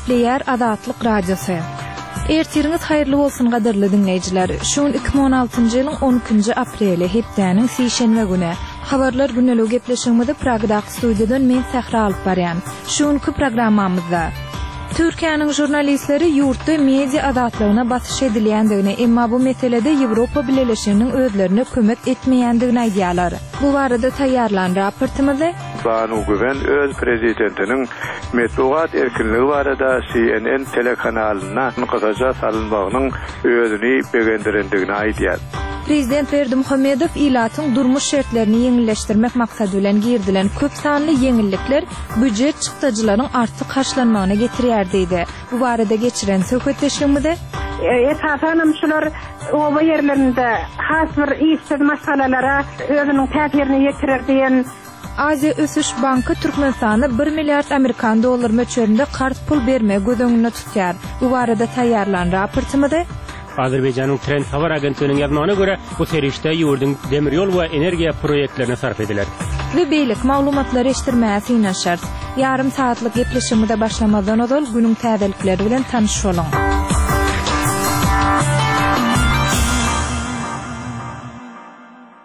Gepleýär Azatlyk Radiosy. Ertiriňiz haýyrly bolsun gadyrly diňleýjiler. Şu gün 2016-njy ýylyň 12-nji apreli, hepdäniň sişenbe güni. Habarlar gündeligi gepleşigimizi Pragadaky studiýadan men Sähra alyp barýan. Şu günki programmamyzda. Türkiýäniň žurnalistleri ýurtda media azatlygyna basyş edilýändigini, emma bu meselede Ýewropa Bileleşiginiň özlerine kömek etmeýändigini aýdýarlar. Bu barada taýýarlan raportymyzy. Banu Güwen öz prezidentiniň metbugat erkinligi barada CNN telekanalynda gysaja salynmagynyň özüni begendirendigini aýdýar. Prezident Berdimuhamedow ilatyň durmuş şertlerini ýeňilleşdirmek maksady bilen girizilen köp sanly ýeňillikler býujet çykdajylaryň artyk harçlanmagyna getirýär diýdi. Bu barada geçiren söhbetdeşligimize. Esasanam şular oba ýerlerinde has bir işsiz maşgalalara özüniň täsirini ýetirer diýen. Aziýa ösüş banky Türkmenistana bir milliard amerikan dollary möçberinde karz pul bermegi göz öňünde tutýar. Bu barada taýýarlan raportymyzy. Azerbaýjanyň Trend habar agentliginiň ýazmagyna görä, bu serişde ýurduň demir ýol we energiýa proýektlerine sarp ediler. We beýleki maglumatlary eşitdirmäge synanyşarys. Ýarym sagatlyk gepleşigimize başlamazdan ozal günüň täzelikleri bilen tanyş boluň.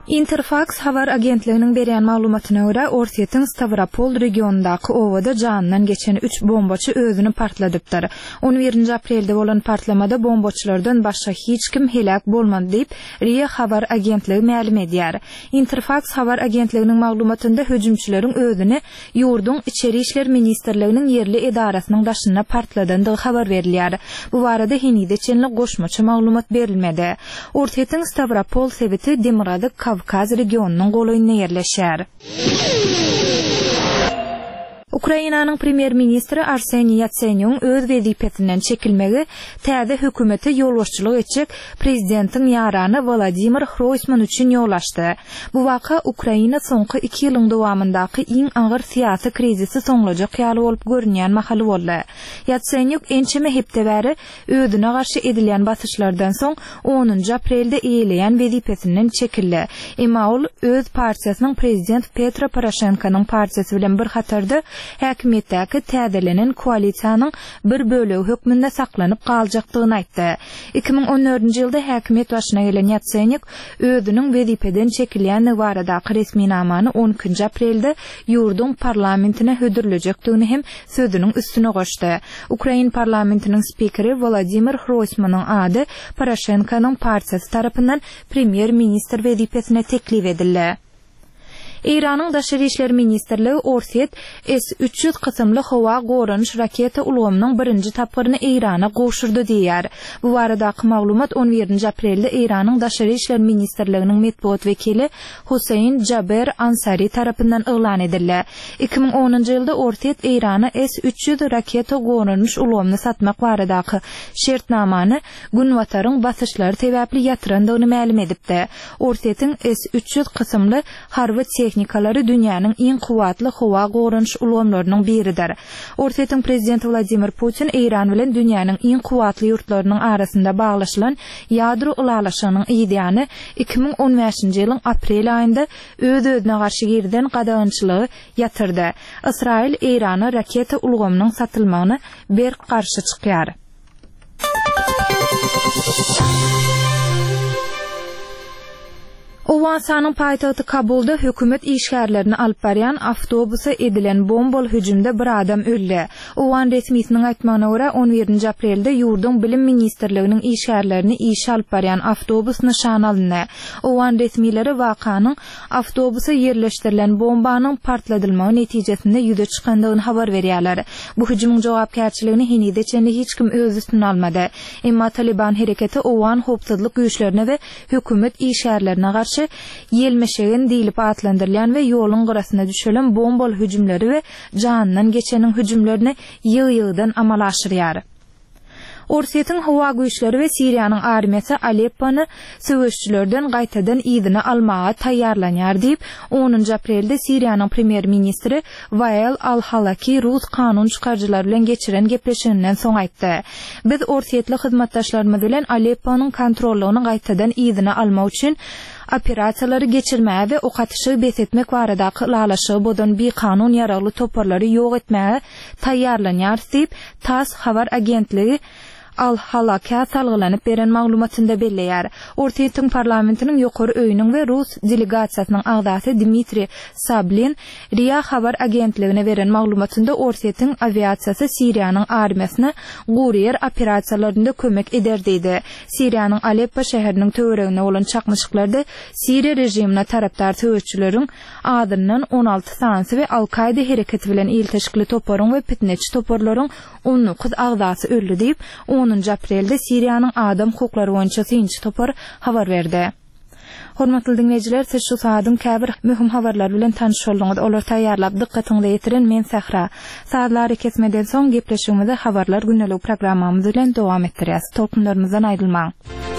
Interfaks habar agentliginiň berýän maglumatyna görä, Orsýetiň Stawropol regionyndaky obada janyndan geçen üç bombaçy özüni partladypdyr. On birinji aprelde bolan partlamada bombaçylardan başga hiç kim heläk bolmady diýip, RIA habar agentligi mälim edýär. Interfaks habar agentliginiň maglumatynda hüjümçileriň özüni Ýurduň Içeri işler ministrliginiň ýerli edarasynyň daşynda partladandygy habar berilýär. Bu barada henize çenli goşmaça maglumat berilmedi. Orsýetiň Stawropol sebiti Demirgazyk Kawkaz regionynyň golaýynda ýerleşýär. Ukrainanyň premýer-ministri Arseniý Ýatsenýugyň öz wezipesinden çekilmegi täze hökümete ýolbaşçylyk etjek prezidentiň ýarany Wolodymyr Hroýsman üçin ýol açdy. Bu waka Ukraina soňky iki ýylyň dowamyndaky iň agyr syýasy krizisi soňlajak ýaly bolup görünýän mahaly boldy. Ýatsenýuk ençeme hepde bäri özüne garşy edilýän basyşlardan soň onunjy aprelde eýeleýän wezipesinden çekildi. Emma ol öz partiýasynyň prezident Petro Poroşenkonyň partiýasy bilen bir hatarda häkimiýetdäki täzelenen koalisiýanyň bir bölegi hökmünde saklanyp galjakdygyny aýtdy. 2014-nji ýylda häkimiýet başyna gelen Ýatsenýuk özüniň wezipeden çekilýändigi baradaky resminamany on ikinji aprelde ýurduň parlamentine hödürlejekdigini hem sözüniň üstüne goşdy. Ukrain parlamentiniň spikeri Wolodymyr Hroýsmanyň ady Poroşenkonyň partiýasy tarapyndan premýer-ministr wezipesine teklip edildi. Eýranyň Daşary işler ministrligi Orsýet S 300 kysymly howa goranyş raketa ulgamynyň birinji tapgyryny Eýrana gowşurdy diýýär. Bu baradaky maglumat on birinji aprelde Eýranyň Daşary işler ministrliginiň metbugat wekili Hussein Jaber Ansari tarapyndan yglan edildi. 2010-njy ýylda Orsýet Eýrana S 300 raketa goranyş ulgamyny satmak baradaky şertnamany Günbataryň basyşlary sebäpli ýatyrandygyny mälim edipdi. Orsýetiň S 300 kysymly harby tehnikalary dünýäniň iň kuwwatly howa goranyş ulgamlarynyň biridir. Orsýetiň prezidenti Wladimir Putin Eýran bilen dünýäniň iň kuwwatly ýurtlarynyň arasynda baglaşylan ýadro ylalaşygynyň yzýany 2015-nji ýylyň aprel aýynda öz-özüne garşy girizen gadagançylygy ýatyrdy. Ysraýyl Eýrana raketa ulgamynyň satylmagyna berk garşy çykýar. Owganystanyň paýtagty Kabulda hökümet işgärlerini alyp barýan awtobusa edilen bombaly hüjümde bir adam öldi. Owgan resmisiniň aýtmagyna görä, on birinji aprelde ýurduň Bilim ministrliginiň işgärlerini işe alyp barýan awtobus nyşana alyndy. Owgan resmileri wakanyň awtobusa ýerleşdirilen bombanyň partladylmagy netijesinde ýüze çykandygyny habar berýärler. Bu hüjümiň jogapkärçiligini henize çenli hiç kim öz üstüne almady. Emma Talyban hereketi owgan howpsuzlyk güýçlerine we hökümet işgärlerine garşy ýelmeşegen diýlip atlandyrylýan we ýoluň gyrasyna düşelen bombaly hüjümleri we janyndan geçeniň hüjümlerini ýygy-ýygydan amala aşyrýar. Orsýetiň howa güýçleri we Siriýanyň armiýasy Aleppony söweşçilerden gaýtadan yzyna almaga taýýarlanýar diýip, onunjy aprelde Siriýanyň premýer-ministri Wael al-Halaki rus kanun çykaryjylary bilen geçiren gepleşiginden soň aýtdy. Biz orsýetli hyzmatdaşlarymyz bilen Alepponyň kontrollygyny gaýtadan yzyna almak üçin. Operasiýalary geçirmäge we ok atyşygy bes etmek baradaky ylalaşygy bozan bikanun ýaragly toparlary ýok etmäge taýýarlanýarys diýip, tass habar agentligi Al-Halakä salgylanyp beren maglumatynda belleýär. Orsýetiň parlamentiniň ýokary öýüniň we rus delegasiýasynyň agzasy Dmitriý Sablin RIA habar agentligine beren maglumatynda Orsýetiň awiasiýasy Siriýanyň armiýasyna gury ýer operasiýalarynda kömek eder diýdi. Siriýanyň Aleppo şäheriniň töwereginde bolan çaknyşyklarda Siriýa režimine tarapdar söweşçileriň azyndan 16 sanysy we Al-Kaýda hereketi bilen ilteşikli toparyň we pitneçi toparlaryň 19 agzasy öldi diýip, onunjy aprelde Siriýanyň adam hukuklary boýunça synçy topar habar berdi. Hormatly diňleýjiler, siz şu saadyň käbir möhüm habarlary bilen tanyş bolduňyz. Olary taýýarlap, dykgatyňyza ýetiren men Sähra. Sazly arakesmeden soň, gepleşigimizi Habarlar gündeligi programmamyz bilen dowam etdirýäs. Tolkunlarymyzdan aýrylmaň!